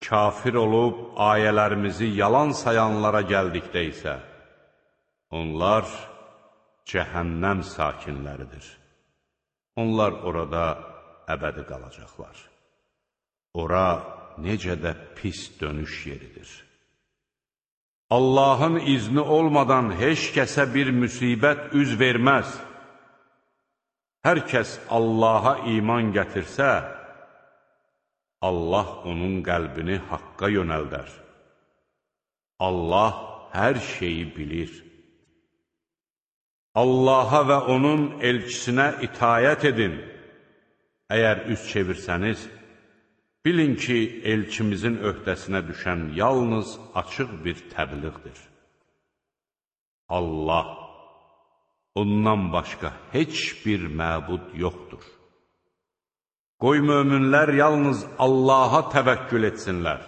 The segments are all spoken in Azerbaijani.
Kafir olub ayələrimizi yalan sayanlara gəldikdə isə, onlar cəhənnəm sakinləridir. Onlar orada əbədi qalacaqlar. Ora necə də pis dönüş yeridir. Allahın izni olmadan heç kəsə bir müsibət üz verməz. Hər kəs Allaha iman gətirsə, Allah onun qəlbini haqqa yönəldər. Allah hər şeyi bilir. Allaha və onun elçisinə itayət edin. Əgər üz çevirsəniz, bilin ki, elçimizin öhdəsinə düşən yalnız açıq bir təbliğdir. Allah, ondan başqa heç bir məbud yoxdur. Qoy möminlər yalnız Allaha təvəkkül etsinlər.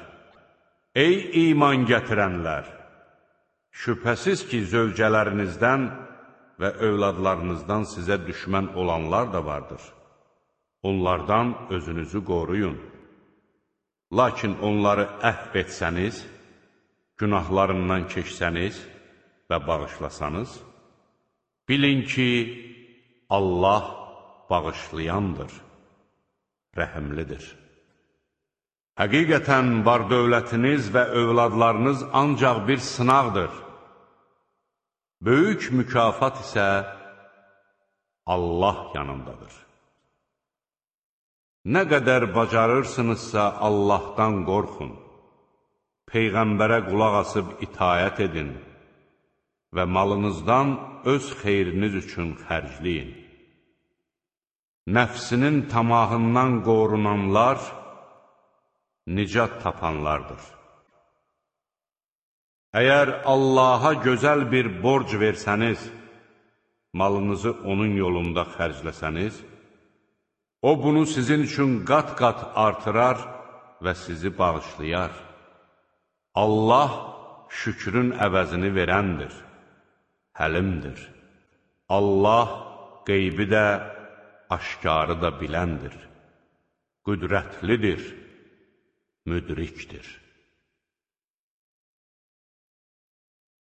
Ey iman gətirənlər! Şübhəsiz ki, zövcələrinizdən və övladlarınızdan sizə düşmən olanlar da vardır. Onlardan özünüzü qoruyun. Lakin onları əhv etsəniz, günahlarından keçsəniz və bağışlasanız, bilin ki, Allah bağışlayandır, rəhimlidir. Həqiqətən var-dövlətiniz və övladlarınız ancaq bir sınaqdır. Böyük mükafat isə Allah yanındadır. Nə qədər bacarırsınızsa Allahdan qorxun, Peyğəmbərə qulaq asıb itayət edin və malınızdan öz xeyriniz üçün xərcləyin. Nəfsinin tamahından qorunanlar nicat tapanlardır. Əgər Allaha gözəl bir borc versəniz, malınızı onun yolunda xərcləsəniz, O bunu sizin üçün qat-qat artırar və sizi bağışlayar. Allah şükrün əvəzini verəndir, həlimdir. Allah qeybi də, aşkarı da biləndir, qüdrətlidir, müdrikdir.